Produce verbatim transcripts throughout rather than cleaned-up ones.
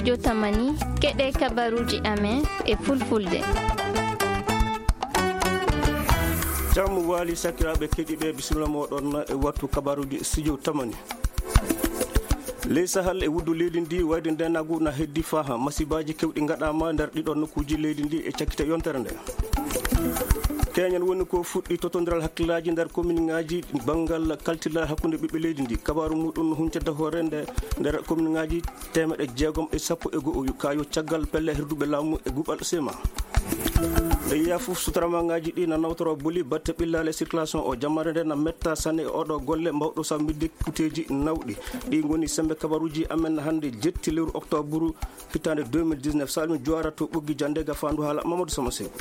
Yo tamani, keɗe kabaruuji amen e fulfulde. Jam waali sakiraaɓe keɗiiɓe, bisimilla mooɗon e wattu kabaruuji studio tamani. Ley Sahel e wuddu leydi ndi, wayde ndeenaagu na heddi faaha. Masibaaji kewɗi ngaɗaama nder ɗiɗo nokkuuji leydi ndi e cakkite yontere nde. Keñen woni ko fuɗɗi totondiral hakkillaaji nder kominŋaaji banngal kaltiral hakkunde ɓiɓɓe leydi ndi. Kabaaru muɗum huncata hoore nde nder kominŋaaji teemeɗe jeegom e sappo e go'o ka yo caggal pelle herduɓe laamu e guɓal sema. Nde yiya fof sutaramaŋaaji ɗi na nawtoro boli batte ɓillaale circulation o, jammaare nde na metta sanne e oɗo golle mbawɗo sa midde kuteeji nawɗi. Ɗi ngoni sembe kabaruuji amen hannde jetti lewru octobre hitaande deux mille dix-neuf. Salmi Juwaara to Ɓoggi Jannde, gafaandu haala Mamadou Sama Seeku.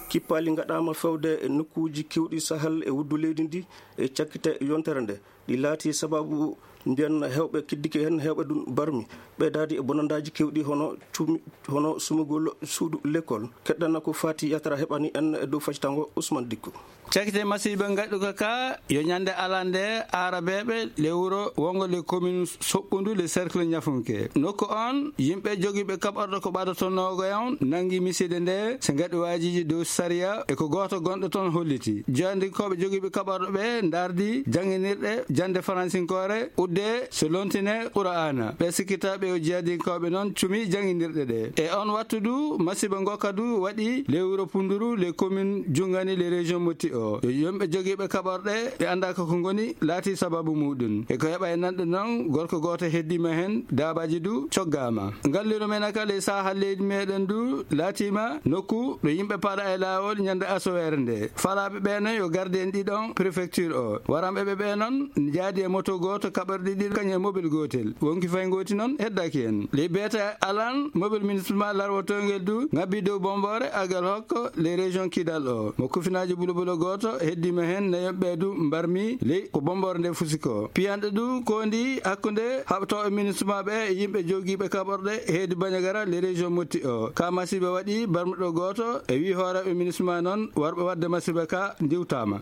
Kippaali ngaɗaama fewde e nokkuuji kewɗi Sahel e wuddu leydi ndi e cakkite yontere nde. Ɗi laati sababu mbiyan heewɓe kiddike heen, heewɓe ɗum barmi. Ɓeydaade e bonandaaji kewɗi hono cumi, hono sumugol suudu lekkol. Keɗɗana ko faati yatara heɓani en e dow faccango Ousmane Dikko. Cakkite masiiba ngaɗuka ka yo ñande alande aarabeeɓe le wuro wongo le commune Soɓɓundu le cercle Ñafunke. Nokku on yimɓe jogiiɓe kaɓorɗo ko ɓadoto noogo yawn nangi miside nde se ngaɗi waajiiji dow sariya e ko gooto gonɗo toon holliti. Jeyandikooɓe jogiiɓe kaɓorɗo ɓe ndardi jannginirɗe jannde faransinkoore udde so lontine Qur'aana. Ɓe sikkitaaɓe o jeyadinkooɓe noon cumi jannginirɗe ɗe. E on wattu du, masiba ngo kadu waɗi le wuro Punduru, le commune Jungani, le région Motti o. Yo yimɓe jogiiɓe kaɓorɗe ɓe anndaa ko ko ngoni laati sababu muɗum. E ko heɓa e nanɗe noon, gorko gooto heddiima heen, daabaaji du coggaama. Ngalliro men aka le saaha leydi meɗen du laatiima nokku ɗo yimɓe paɗa e laawol ñande asoweere nde. Falaaɓe ɓe noon yo garde en ɗiɗon préfecture o. Waranɓe ɓe ɓe noon jaadi e moto gooto kaɓorɗi ɗiɗo kañum e mobile gootel. Wonki fay ngooti noon heddaki en. Le beeta alan mobile municipal larwotoongel du ngabbi dow Bombore agal hokko le région Kidal o. Mo kufinaaji bulobulo gooto heddiima heen nayoɓe du mbarmi ley ko Bombore nde fusi ko. Piyanɗo du kondi hakkunde haɓtooɓe municipal ɓe e yimɓe jogiiɓe kaɓorɗe heedi Bandiagara le région Motti o. Ka masiba waɗi barmuɗo gooto e wi hooreeɓe municipal noon warɓe waɗde masiba ka ndiwtaama.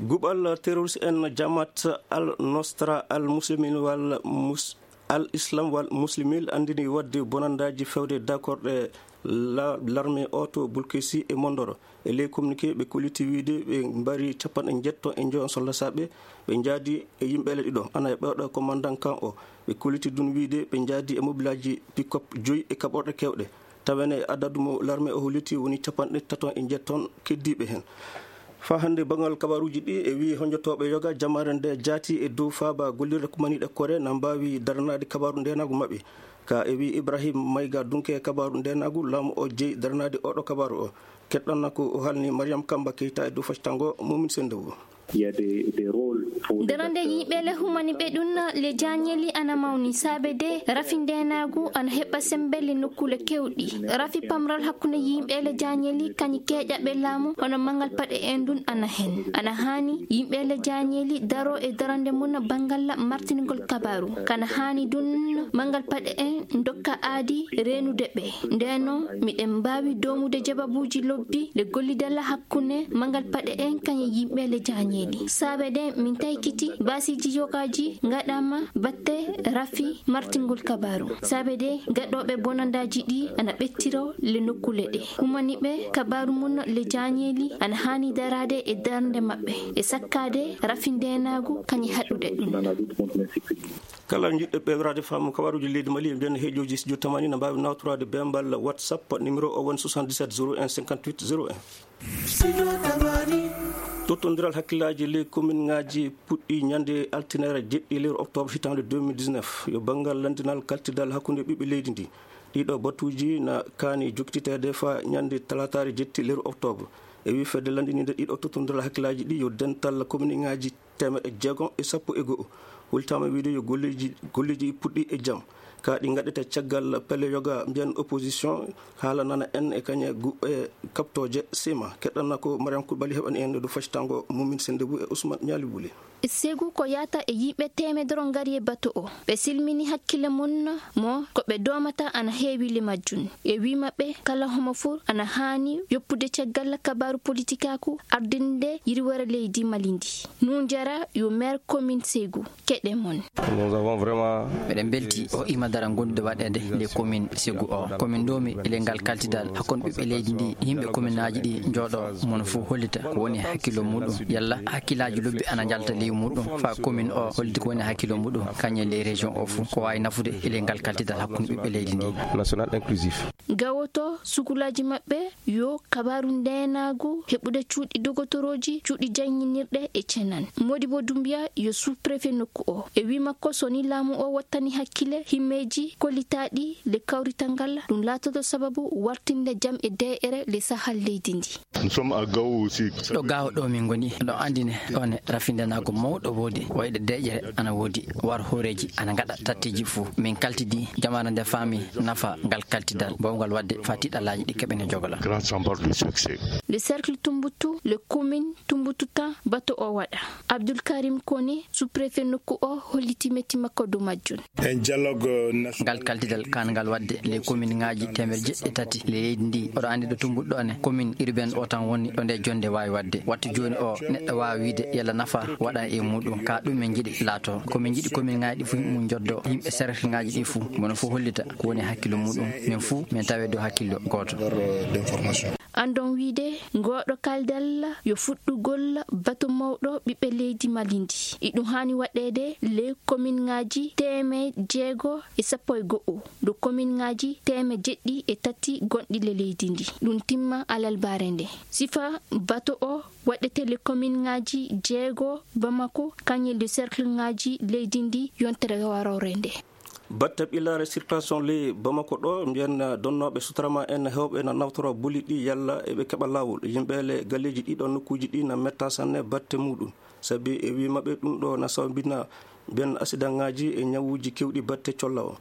Guɓal terroriste en Jamaat Al Nosra Al Muslimin wal Mus-, Al Islam wal Muslimin anndini waɗde bonandaaji fewde dakorɗe la-, larme o to Bulkesi e Mondoro. E ley communiqué, ɓe kolliti wiyde ɓe mbari capanɗe njetto e njoyo soldasaɓe, ɓe njaadi e yimɓe le ɗiɗo, ana e ɓewɗo commandant kan o. Ɓe kolliti dun wiyde ɓe njaadi e mobilaaji pick-up joyi e kaɓorɗe kewɗe. Tawen e adadu mo larme o holliti woni capanɗe taton e njetton keddiiɓe heen. Faa hannde, banngal kabaaruuji ɗi e wii honjotooɓe yoga jamaare nde jaati e dow faaba gollirde kumaniiɗe kore na mbaawi daranaade kabaaru ndeenaagu maɓɓe. Ka e wii Ibrahim Mayga Dunke kabaaru ndeenaagu, laamu o jeyi daranaade oɗo kabaaru o. Keɗɗon na ko o haalni Mariam Kamba Keita e dow faccango Mumin Sendewo. Il y a des, des rôles pour les Darande acteurs yimɓe le humani ɓe ɗum le jañeli ana mawni saabe de rafi ndeenaagu ana heɓa sembe le nokkuule kewɗi. Rafi pamral hakkunde yimɓe le jañeli kañi keeƴaɓe laamu hono mangal paɗe en ɗum ana hen. Ana haani yimɓe le jañeli daro e darande mum banngal martinigol kabaaru. Kana haani ɗum mangal paɗe en dokka aadi reenude ɓe. Ndeno miɗen mbaawi doomude jababuuji lobbi le gollidal hakkunde mangal paɗe en kañe yimɓe le jañeeli. Saabe de min taykiti baasiiji yogaaji ngaɗaama batte rafi martingol kabaaru. Saabe de gaɗooɓe bonandaaji ɗi ana ɓettiro le nokkuule ɗe. Humani ɓe kabaaru mum le jañeeli ana haani daraade e darnde maɓɓe e sakkaade rafi ndeenaagu kañe haɗude ɗum. Kala jiɗɗo ɓeewraade faamu kabaruuji leydi Mali e nder heejooji studio tamani na mbaawi nawtoraade bembal WhatsApp, numéro o woni soixante-dix-sept zéro un cinquante-huit zéro un. Studio tamani. Tottondiral hakkillaaji ley kominŋaaji puɗɗi ñande altine jeɗɗi lewru octobre hitaande deux mille dix-neuf. Yo banngal lanndinal kaltidal hakkunde ɓiɓɓe leydi ndi. Ɗiɗo batuuji na kaani jokkititeede faa ñande talaataare jetti lewru octobre. E wii fedde lanndiniinde ɗiɗo tottondiral hakkillaaji ɗi yo dental kominŋaaji teemeɗɗe jeegom e sappo e go'o. Hultaama wiide yo golleeji, golleeji puɗɗi e jam. Ka ɗi ngaɗete caggal pelle yoga mbiyan opposition, haala nana en e kañe gu-, e kaɓtooje sima. Keɗɗanna ko Mariam Koulibaly heɓani en ɗo faccango Mumin Sendebou e Ousmane Ñaali Buli. Segu ko yata e yimɓe teemedere ngari e bato o. Ɓe silmini hakkille mum mo ko ɓe doomata ana heewi le majjum. E wii maɓɓe kala homo fur ana haani yoppude caggal kabaaru politikaaku ardinde yirwere leydi Mali ndi. Nunjara yo maire commune Segu. Keɗe mon. Nous avons vraiment Meɗen mbelti o ima dara gondude waɗeede le commune Segu o. Commune ɗo mi ele ngal kaltidal hakkunde ɓiɓɓe leydi ndi, yimɓe commune aji ɗi njooɗo, mono fof hollita ko woni hakkillo muɗum. Yalla hakkillaaji lobbi ana njalta ley muɗum, fa commune o hollita ko woni hakkillo muɗum, kañum e ley région o fof, ko waawi nafude ele ngal kaltidal hakkunde ɓiɓɓe leydi ndi. National inclusif. Gawoto sukulaaji maɓɓe yo kabaaru ndeenaagu heɓude cuuɗi dogotorooji, cuuɗi jannginirɗe e cenan. Modibo Doumbia yo sous-préfet nokku o. E wii makko, so ni laamu o wattani hakkille himmeeji kollitaaɗi le kawrital ngal, ɗum laatoto sababu wartinde jam e deeƴere le sahal leydi ndi. Nous sommes à Gao aussi. Ɗo Gao ɗo min ngoni, ɗo anndine ɗo ne rafindenaago mawɗo woodi, wayde deeƴere ana woodi, war hooreeji ana ngaɗa tatteeji fuu. Min kaltidi jamaare nde faami nafa ngal kaltidal, mbaawgal waɗde fa tiiɗalaaji ɗi keɓene jogola. Grand champion de succès. Le cercle Tumbuttu, le commune Tumbuttu tan bato o waɗa. Abdoul Karim Koné, sous-préfet nokku o, holliti metti makko dow majjum. Un dialogue, euh, national. Ngal kaltidal kaan ngal waɗde le commune ŋaaji teemeɗe jeɗɗi e tati le leydi ndi. Oɗo anndi ɗo Tumbuttu ɗo ne, commune urbaine o tan woni ɗo nde jonde waawi waɗde. Wattu jooni o, neɗɗo waawi wiide yalla nafa waɗa e muɗum. Ka ɗum min njiɗi laato. Ko min njiɗi commune ŋaaji ɗi fuu mum njoddo yimɓe cercle ŋaaji ɗi fuu. Mono fof hollita ko woni hakkillo muɗum. Min fuu min tawe dow hakkillo gooto. Andon wiide, ngooɗo kaldal yo fuɗɗugol bato mawɗo ɓiɓɓe leydi Mali ndi. Iɗum haani waɗeede le commune ŋaaji teemeɗe jeego e sappo e go'o, dow commune ŋaaji teemeɗe jeɗɗi e tati gonɗi le leydi ndi. Ɗum timma alarba nde. Sifa bato o waɗete le commune ŋaaji jeego Bamako, kañum e le cercle ŋaaji leydi ndi yontere warore nde. Batte ɓillaare circulation ley Bamako ɗo, mbiyen donnooɓe sutarama en heewɓe na nawtora boli ɗi yalla eɓe keɓa laawol. Yimɓe le galleeji ɗiɗo nokkuuji ɗi na metta sanne batte muɗum. Sabi e wii maɓɓe ɗum ɗo na sawbina mbiyen asidaŋaaji e ñawuuji kewɗi batte colla o.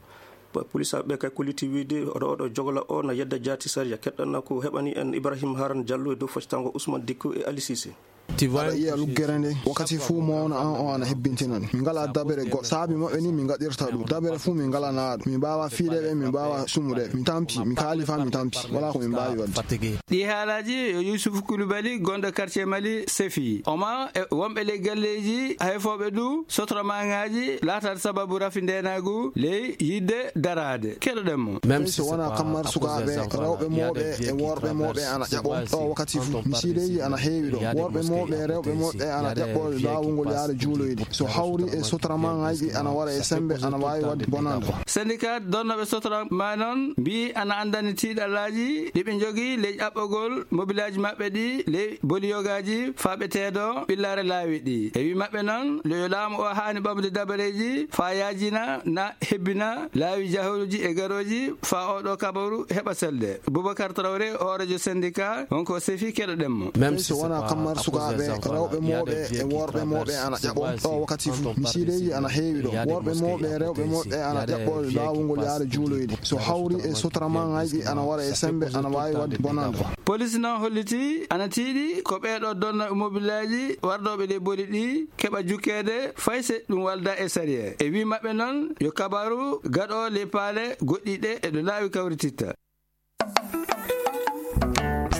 Pa-, polisaaɓe kay kolliti wiide oɗo, oɗo jogola o na yedda jaati sariya. Keɗɗanna ko heɓani en Ibrahim Haran Diallo e dow foccango Ousmane Dikko e Ali Cissé. Aɗa yiya luggere nde, wakkati fuu mawna an o ana hebbintinan. Min ngala dabere goɗɗo. Saabi maɓɓe ni min ngaɗirta ɗum. Dabere fuu min ngalana ɗum. Min mbaawa fiireɓe, min mbaawa sumuɗe. Min tampi, min kaali fa min tampi. Wala ko min mbaawi waɗde. Ɗi haalaaji yo Yusuf Kulubali, gonɗo quartier Mali Sefi. Oma e wonɓe ley galleeji hayfooɓe du sotramaŋaaji laataade sababu rafi ndeenaagu ley yiɗde daraade. Keɗoɗen mo. Même si wonaa kammar sukaaɓe, rewɓe mooɓe e worɓe mooɓe ana ƴaɓo ɗo wakkati fuu. Misiideeji ana heewi ɗo. Worɓe mooɓe e rewɓe mooɓe ana ƴaɓɓo laawungol yaade juuloyde. So hawri e sotramaŋaaji ana wara e sembe, ana waawi waɗde bonannde. Syndicat donnooɓe sotrama noon mbiyi ana anndani tiiɗalaaji ɗi ɓe njogii ley ƴaɓɓogol mobilaaji maɓɓe ɗi ley boliyogaaji faa ɓe teedo ɓillaare laawi ɗi. E wii maɓɓe noon, le yo laamu o haani ɓamde dabareeji faa yaajina na hebbina laawi jahooji e garooji faa oo ɗoo kabaru heɓa selde. Boubacar Traoré, hooreejo syndicat, wonko sefi keɗoɗen mo. Même si wonaa kammar sukaaɓe, rewɓe mooɓe e worɓe mooɓe ana ƴaɓo ɗo wakkati fuu. Misiideeji ana heewi ɗo. Worɓe mooɓe e rewɓe mooɓe ana ƴaɓɓo laawungol yaade juuloyde. So hawri e sotramaŋaaji ana wara e sembe, ana waawi waɗde bonannde. Polis noon holliti ana tiiɗi ko ɓeeɗo donnooɓe mobilaaji wardooɓe ley boli ɗi keɓa jukkeede fay se ɗum walda e sariya. E wii maɓɓe noon yo kabaru gaɗo ley paale goɗɗi ɗe e ɗo laawi kawrititta.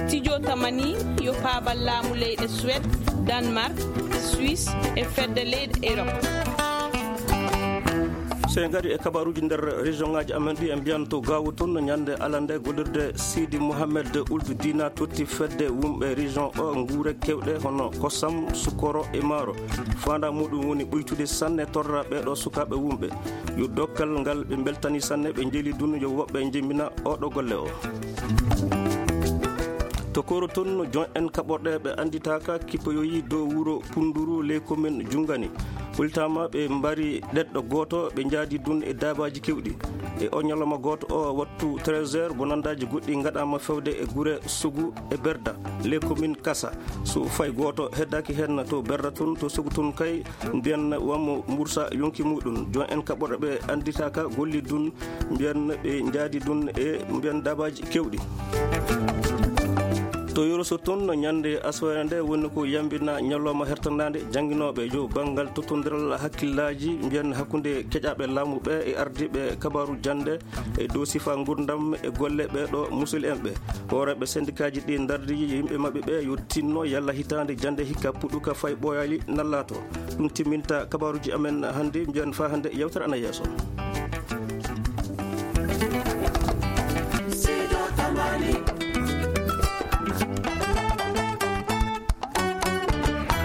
Studio Tamani yo paabal laamu leyɗe Suède, Danemark, Suisse e fedde leyɗe Europe. So en ngari e kabaruuji nder région ŋaaji amen ɗi, en mbiyan to Gaawo toon, ñande alande gollirde Sidi Mohamed Ould Dina totti fedde wumɓe région o nguure kewɗe hono kosam, sukoro e maaro. Faanda muɗum woni ɓuytude sanne torra ɓeeɗo sukaaɓe wumɓe. Yo dokkal ngal ɓe mbeltani sanne, ɓe njeeli dun yo woɓɓe njembina oɗo golle o. To Koro tun, jon en kaɓorɗe ɓe annditaaka kippoyoyi dow wuro Punduru, ley komin Jungani. Ɓultaama ɓe mbari ɗeɗɗo gooto, ɓe njaadi dun e daabaaji kewɗi. E o ñalawma gooto o, wattu treize heures, bonandaaji goɗɗi ngaɗaama fewde e gure Sogu e Berda, ley komin Kasa. So fay gooto heddaaki hen to Berda tun, to Sogu tun kay, mbiyen wammo mbursa yonki muɗum. Jon en kaɓorɗe ɓe annditaaka golli dun, mbiyen ɓe njaadi dun e mbiyen daabaaji kewɗi. To Yoroso tun, ñande asoore nde woni ko yambina ñalawma hertandaande jannginooɓe yo banngal tottondiral hakkillaaji, mbiyen hakkunde keƴaaɓe laamu ɓe e ardiiɓe kabaaru jannde e dow sifa ngurdam e golle ɓee ɗo musulɓe en ɓe. Hooreeɓe sendikaaji ɗi ndardi yimɓe maɓɓe ɓe yo tinno yalla hitaande jannde hikka puɗɗuka fay ɓooyaali nallaato. Ɗum timminta kabaaruuji amen hannde, mbiyen faa hannde yewtere ana yeeso.